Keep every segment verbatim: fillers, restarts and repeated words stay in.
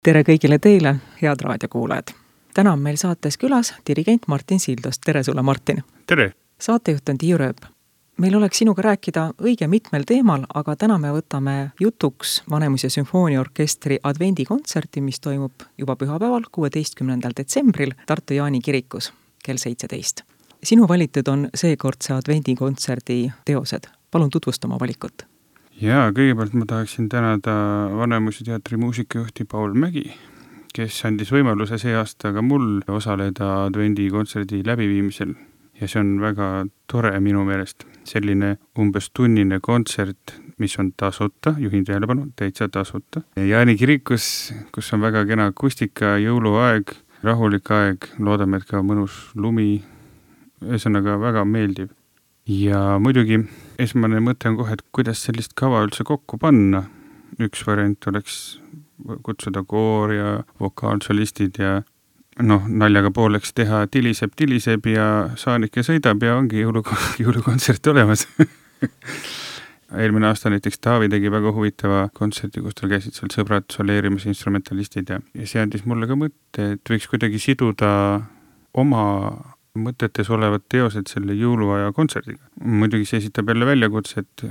Tere kõigile teile, head raadiokuulajad. Täna on meil saates külas dirigent Martin Sildos. Tere sulle, Martin. Tere. Saatejuht on Tiiu Rööp. Meil oleks sinuga rääkida õige mitmel teemal, aga täna me võtame jutuks Vanemuise sümfooniaorkestri advendikontserti, mis toimub juba pühapäeval, kuueteistkümnendal detsembril Tartu Jaani kirikus kell seitseteist. Sinu valitud on seekordse advendikontserdi teosed. Palun tutvustama valikut. Jaa, kõigepealt ma tahaksin tänada Vanemuise teatri muusikajuhti Paul Mägi, kes andis võimaluse see aasta ka mul osaleda advendikontserdi läbiviimisel. Ja see on väga tore minu meelest. Selline umbes tunnine kontsert, mis on tasuta, juhin tähelepanu, täitsa tasuta. Jaani kirikus, kus on väga kena akustika, jõuluaeg, rahulik aeg, loodame, et ka mõnus lumi, ühesõnaga väga meeldiv. Ja muidugi esmane mõte on kohe, et kuidas sellist kava üldse kokku panna. Üks variant oleks kutsuda koor ja vokaalsolistid ja noh, naljaga pooleks teha tiliseb, tiliseb ja saanike sõidab ja ongi jõulu, jõulukontsert olemas. Eelmine aasta näiteks Taavi tegi väga huvitava kontserti, kus tal käisid seal sõbrad soleerimas instrumentalistid ja, ja see andis mulle ka mõtte, et võiks kuidagi siduda oma mõtetes olevad teosed selle jõuluaja kontserdiga. Muidugi see esitab jälle väljakutse, et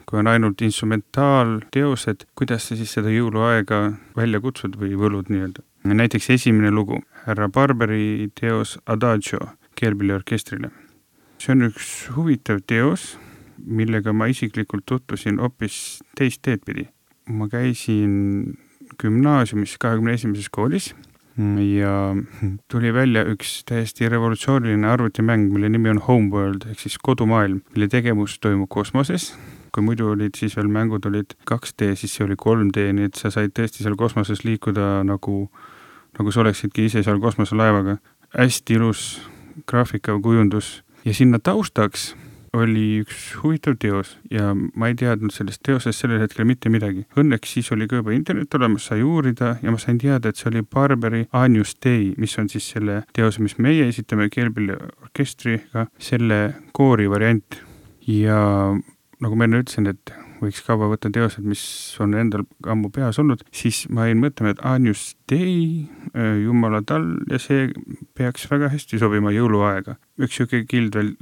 kui on ainult instrumentaalteosed, kuidas sa siis seda jõuluaega välja kutsud või võlud nii-öelda. Näiteks esimene lugu, härra Barberi teos Adagio keelpilliorkestrile. See on üks huvitav teos, millega ma isiklikult tutvusin hoopis teist teed pidi. Ma käisin gümnaasiumis kahekümne esimeses koolis ja tuli välja üks täiesti revolutsiooniline arvutimäng, mille nimi on Homeworld, ehk siis kodumaailm, mille tegevus toimub kosmoses. Kui muidu olid siis veel mängud olid kaks D, siis see oli kolm D, nii et sa said tõesti seal kosmoses liikuda nagu, nagu sa oleksidki ise seal kosmoselaevaga. Hästi ilus graafika kujundus ja sinna taustaks oli üks huvitav teos ja ma ei teadnud sellest teosest sellel hetkel mitte midagi. Õnneks siis oli ka juba internet olemas, sai uurida ja ma sain teada, et see oli Barberi Agnus Dei, mis on siis selle teose, mis meie esitame keelpilliorkestriga, selle koori variant. Ja nagu ma enne ütlesin, et võiks kaua võtta teosed, mis on endal ammu peas olnud, siis ma jäin mõtlema, et Agnus Dei, Jumala tal ja see peaks väga hästi sobima jõuluaega. Üks siuke kild veel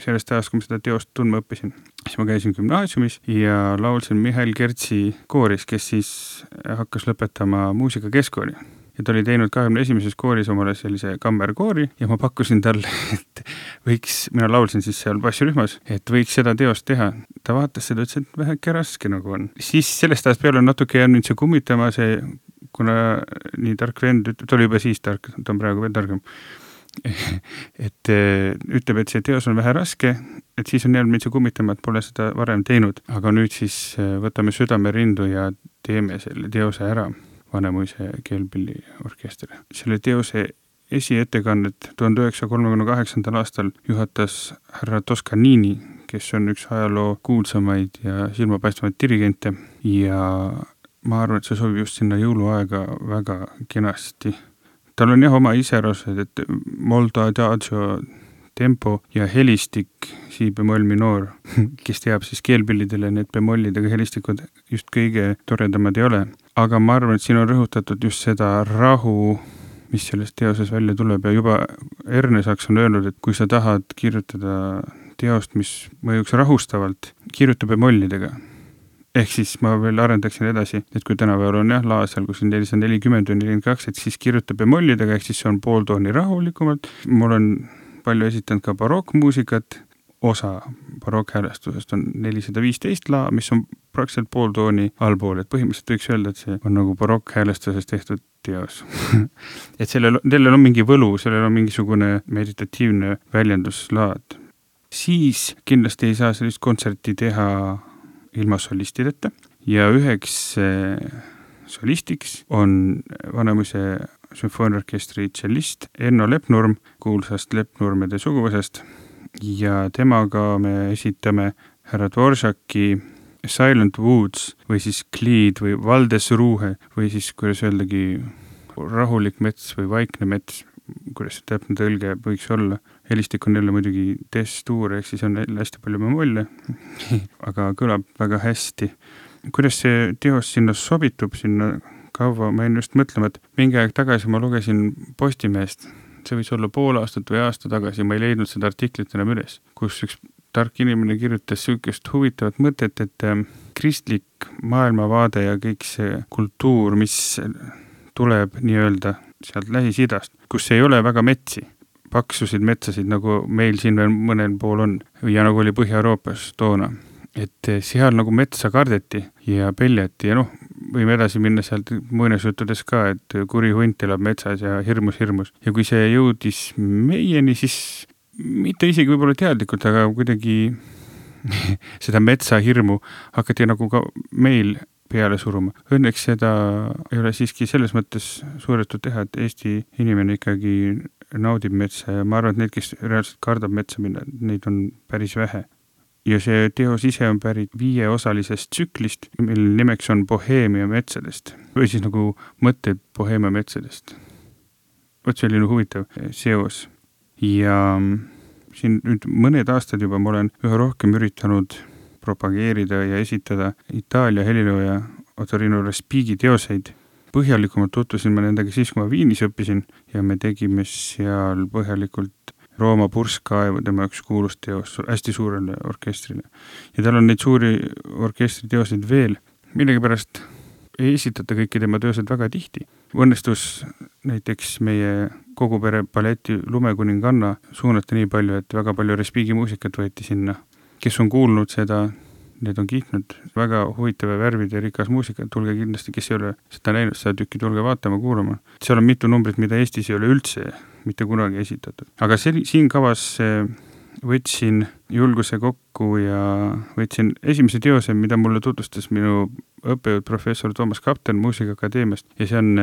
sellest ajast, kui ma seda teost tundma õppisin. Siis ma käisin gümnaasiumis ja laulsin Mihhail Kertsi kooris, kes siis hakkas lõpetama muusika keskkooli. Ja ta oli teinud kahekümne esimeses kooris omale sellise kammerkoori ja ma pakkusin talle, et võiks, mina laulsin siis seal bassirühmas, et võiks seda teost teha. Ta vaatas seda, ütles, et väheke raske nagu on. Siis sellest ajast peale on natuke jäänud see kummitama, see, kuna nii tark vend, ta oli juba siis tark, ta on praegu veel targem, et ütleb, et see teos on vähe raske, et siis on jäänud meid see kummitama, et pole seda varem teinud. Aga nüüd siis võtame südame rindu ja teeme selle teose ära. Vanemuise keelpilliorkestri. Selle teose esiettekannet tuhande üheksasaja kolmekümne kaheksandal aastal juhatas härra Toscanini, kes on üks ajaloo kuulsamaid ja silmapaistvaid dirigente ja ma arvan, et see sobib just sinna jõuluaega väga kenasti. Tal on jah oma iserosed, et molto adagio tempo ja helistik, si bemoll minor, kes teab siis keelpillidele, need bemollidega helistikud just kõige toredamad ei ole. Aga ma arvan, et siin on rõhutatud just seda rahu, mis sellest teoses välja tuleb ja juba Erne Saks on öelnud, et kui sa tahad kirjutada teost, mis mõjuks rahustavalt, kirjuta bemollidega. Ehk siis ma veel arendaksin edasi, et kui tänapäeval on jah laasel, kus on nelisada nelikümmend või nelikümmend kaks, et siis kirjuta bemollidega, ehk siis see on pool tooni rahulikumalt. Mul on palju esitanud ka barokkmuusikat, osa barokkhäälestusest on nelisada viisteist la, mis on praktiliselt pool tooni allpool, et põhimõtteliselt võiks öelda, et see on nagu barokkhäälestusest tehtud teos. et sellel, sellel on mingi võlu, sellel on mingisugune meditatiivne väljenduslaad. Siis kindlasti ei saa sellist kontserti teha ilma solistideta ja üheks solistiks on Vanemuise sümfooniaorkestri tšellist Enno Lepnurm, kuulsast Lepnurmede suguvõsast ja temaga me esitame härra Dvoržaki Silent Woods või siis Cleed või Valdesruhe või siis, kuidas öeldagi, rahulik mets või vaikne mets, kuidas see täpne tõlge võiks olla. Helistik on jälle muidugi testuur, ehk siis on hästi palju bemolle, aga kõlab väga hästi. Kuidas see teos sinna sobitub, sinna kaua, ma jäin just mõtlema, et mingi aeg tagasi ma lugesin Postimehest, see võis olla pool aastat või aasta tagasi, ma ei leidnud seda artiklit enam üles, kus üks tark inimene kirjutas süükest huvitavat mõtet, et kristlik maailmavaade ja kõik see kultuur, mis tuleb nii-öelda sealt Lähis-Idast, kus ei ole väga metsi, paksusid metsasid, nagu meil siin veel mõnel pool on ja nagu oli Põhja-Euroopas toona. Et seal nagu metsa kardeti ja peljati ja noh, võime edasi minna sealt muinasjuttudes ka, et kuri hunt elab metsas ja hirmus, hirmus. Ja kui see jõudis meieni, siis mitte isegi võib-olla teadlikult, aga kuidagi seda metsa hirmu hakati nagu ka meil peale suruma. Õnneks seda ei ole siiski selles mõttes suudetud teha, et Eesti inimene ikkagi naudib metsa ja ma arvan, et need, kes reaalselt kardab metsa minna, neid on päris vähe. Ja see teos ise on pärit viieosalisest tsüklist, mille nimeks on Boheemia metsadest. Või siis nagu mõtted Boheemia metsadest. Võt selline huvitav seos. Ja siin nüüd mõned aastad juba ma olen üha rohkem üritanud propageerida ja esitada Itaalia helilooja Ottorino Respighi teoseid. Põhjalikumalt tutvusin ma nendega siis, kui ma Viinis õppisin ja me tegime seal põhjalikult Rooma purskkaevu, tema üks kuulus teos hästi suurele orkestrile. Ja tal on neid suuri orkestri teoseid veel. Millegi pärast ei esitata kõiki tema teosed väga tihti. Õnnestus näiteks meie kogu pere balleti Lumekuninganna suunata nii palju, et väga palju Respighi muusikat võeti sinna. Kes on kuulnud seda, need on kiitnud väga huvitava värvide rikas muusika. Tulge kindlasti, kes ei ole seda näinud, seda tükki tulge vaatama, kuulama. Seal on mitu numbrit, mida Eestis ei ole üldse mitte kunagi esitatud. Aga see, siin kavas võtsin julguse kokku ja võtsin esimese teose, mida mulle tutvustas minu õppejõud professor Toomas Kapten Muusikaakadeemiast ja see on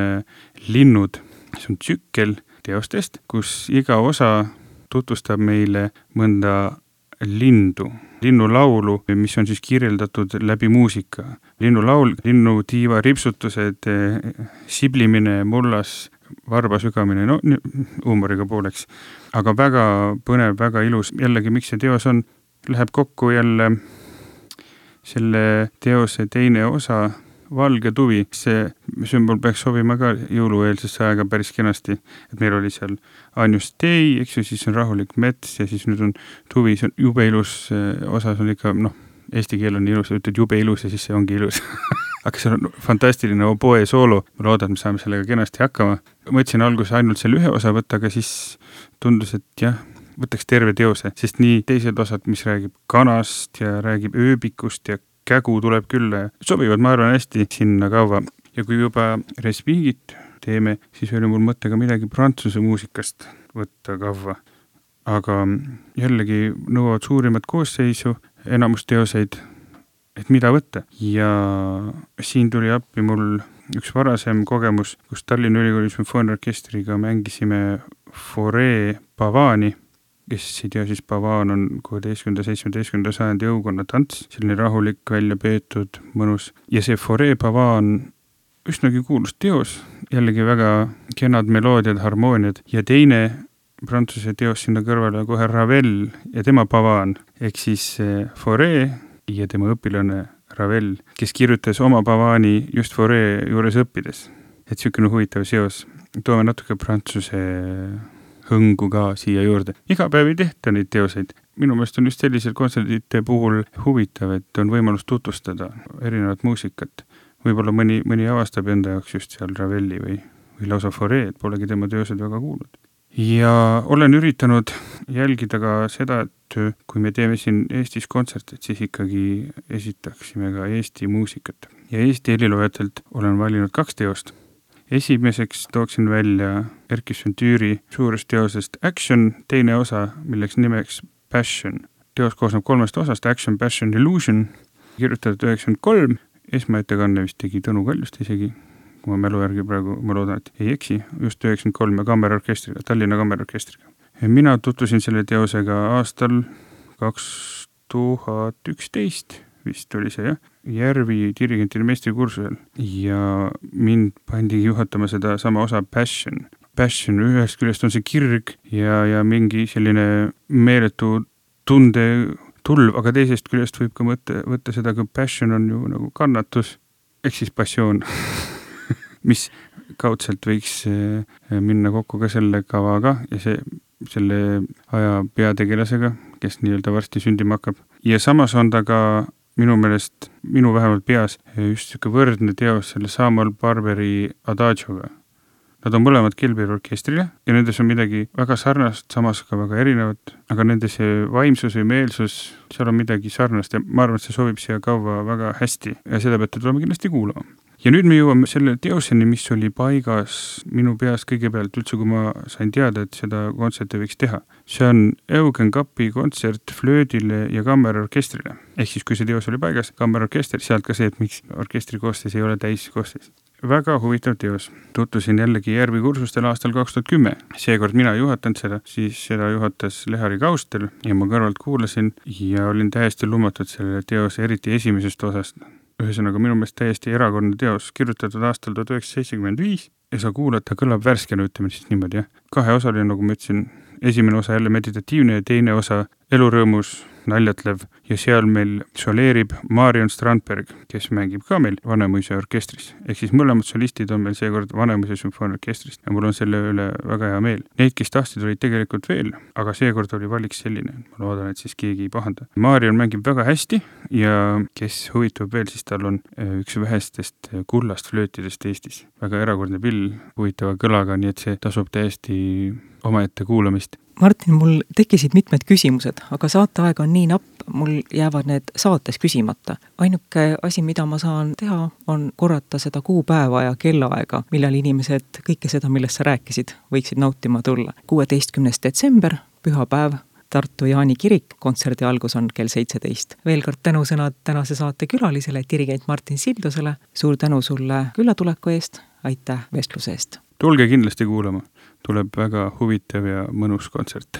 Linnud. See on tsükkel teostest, kus iga osa tutvustab meile mõnda lindu, linnulaulu, mis on siis kirjeldatud läbi muusika. Linnulaul, linnutiiva ripsutused, siblimine, mullas, varba sügamine, no huumoriga pooleks. Aga väga põnev, väga ilus. Jällegi, miks see teos on, läheb kokku jälle selle teose teine osa, valge tuvi. See sümbol peaks sobima ka jõulueelsesse aega päris kenasti, et meil oli seal Agnus Dei, eks ju, siis on rahulik mets ja siis nüüd on tuvi, see on jube ilus, osas on ikka, noh, eesti keel on ilus, ütled jube ilus ja siis see ongi ilus. Aga see on fantastiline oboe soolo, ma loodan, et me saame sellega kenasti hakkama. Mõtlesin alguses ainult selle ühe osa võtta, aga siis tundus, et jah, võtaks terve teose, sest nii teised osad, mis räägib kanast ja räägib ööbikust ja kägu tuleb küll, sobivad, ma arvan, hästi sinna kaua. Ja kui juba Respigit teeme, siis oli mul mõte ka midagi prantsuse muusikast võtta kaua. Aga jällegi nõuavad suurimat koosseisu, enamus teoseid, et mida võtta. Ja siin tuli appi mul üks varasem kogemus, kus Tallinna Ülikooli sümfooniaorkestriga mängisime Fauré Pavani, kes ei tea, siis Pavaan on kuueteistkümnenda seitsmeteistkümnenda sajandi õukonna tants, selline rahulik, välja peetud, mõnus. Ja see Fauré Pavaan üsnagi kuulus teos, jällegi väga kenad meloodiad, harmooniad ja teine prantsuse teos sinna kõrvale kohe Ravel ja tema Pavaan, ehk siis Fauré ja tema õpilane Ravel, kes kirjutas oma Pavaani just Fauré juures õppides. Et sükene huvitav seos. Toome natuke prantsuse hõngu ka siia juurde. Iga päev ei tehta neid teoseid. Minu meelest on just sellisel kontserdite puhul huvitav, et on võimalus tutvustada erinevat muusikat. Võib-olla mõni, mõni avastab enda jaoks just seal Ravelli või, või lausa Fauré, et polegi tema teosed väga kuulnud. Ja olen üritanud jälgida ka seda, et kui me teeme siin Eestis kontserte, siis ikkagi esitaksime ka Eesti muusikat. Ja Eesti heliloojatelt olen valinud kaks teost. Esimeseks tooksin välja Erkki Sventüüri suurest teosest Action, teine osa, milleks nimeks Passion. Teos koosneb kolmest osast, Action, Passion, Illusion, kirjutatud üheksakümmend kolm, esmaettekanne vist tegi Tõnu Kaljust isegi, kui ma mälu järgi praegu, ma loodan, et ei eksi, just üheksakümmend kolm ja kammerorkestriga, Tallinna kammerorkestriga. Mina tutvusin selle teosega aastal kaks tuhat üksteist, vist oli see, jah, Järvi dirigentide meistrikursusel ja mind pandi juhatama seda sama osa Passion. Passion ühest küljest on see kirg ja, ja mingi selline meeletu tunde tulv, aga teisest küljest võib ka mõtte, võtta seda, kui passion on ju nagu kannatus, ehk siis passioon. mis kaudselt võiks minna kokku ka selle kavaga ja see, selle aja peategelasega, kes nii-öelda varsti sündima hakkab. Ja samas on ta ka minu meelest, minu vähemalt peas, just siuke võrdne teos selle Samuel Barberi Adagioga. Nad on mõlemad Kilberi orkestrile ja nendes on midagi väga sarnast, samas ka väga erinevat, aga nende see vaimsus või meelsus, seal on midagi sarnast ja ma arvan, et see sobib siia kaua väga hästi ja seda peate tulema kindlasti kuulama. Ja nüüd me jõuame selle teoseni, mis oli paigas minu peas kõigepealt üldse, kui ma sain teada, et seda kontserti võiks teha. See on Eugen Kappi kontsert flöödile ja kammerorkestrile. Ehk siis, kui see teos oli paigas, kammerorkester, sealt ka see, et miks orkestri koostis ei ole täis koostis. Väga huvitav teos. Tuttusin jällegi Järvi kursustel aastal kaks tuhat kümme. Seekord mina ei juhatanud seda, siis seda juhatas Lehari Kaustel ja ma kõrvalt kuulasin ja olin täiesti lumatud selle teose, eriti esimesest osast. Ühesõnaga minu meelest täiesti erakordne teos, kirjutatud aastal tuhat üheksasada seitsekümmend viis ja sa kuulad, ta kõlab värskena, ütleme siis niimoodi, jah. Kahe osaline, nagu ma ütlesin, esimene osa jälle meditatiivne ja teine osa elurõõmus, naljatlev ja seal meil soleerib Marion Strandberg, kes mängib ka meil Vanemuise orkestris. Ehk siis mõlemad solistid on meil seekord Vanemuise sümfooniaorkestrist ja mul on selle üle väga hea meel. Neid, kes tahtsid, olid tegelikult veel, aga seekord oli valik selline. Ma loodan, et siis keegi ei pahanda. Marion mängib väga hästi ja kes huvitub veel, siis tal on üks vähestest kullast flöötidest Eestis. Väga erakordne pill, huvitava kõlaga, nii et see tasub täiesti omaette kuulamist. Martin, mul tekkisid mitmed küsimused, aga saateaeg on nii napp, mul jäävad need saates küsimata. Ainuke asi, mida ma saan teha, on korrata seda kuupäeva ja kellaaega, millal inimesed kõike seda, millest sa rääkisid, võiksid nautima tulla. kuueteistkümnes detsember, pühapäev, Tartu Jaani kirik, kontserdi algus on kell seitseteist. Veel kord tänusõnad tänase saate külalisele, dirigent Martin Sildusele. Suur tänu sulle küllatuleku eest, aitäh vestluse eest. Tulge kindlasti kuulama, tuleb väga huvitav ja mõnus kontsert.